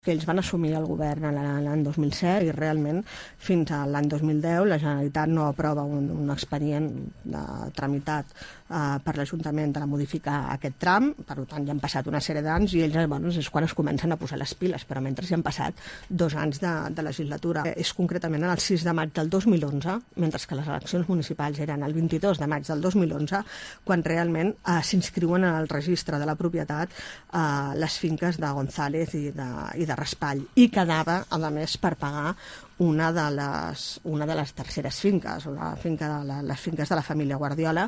que ells van assumir el govern l'any 2007 i realment fins a l'any 2010 la Generalitat no aprova un expedient tramitat per l'Ajuntament de modificar aquest tram, per tant ja han passat una sèrie d'anys i ells és quan es comencen a posar les piles, però mentre ja han passat 2 anys de legislatura. És concretament el 6 de maig del 2011, mentre que les eleccions municipals eren el 22 de maig del 2011, quan realment s'inscriuen en el registre de la propietat les finques de González i de Raspall, i quedava, a més, per pagar una de les terceres finques, les finques de la família Guardiola,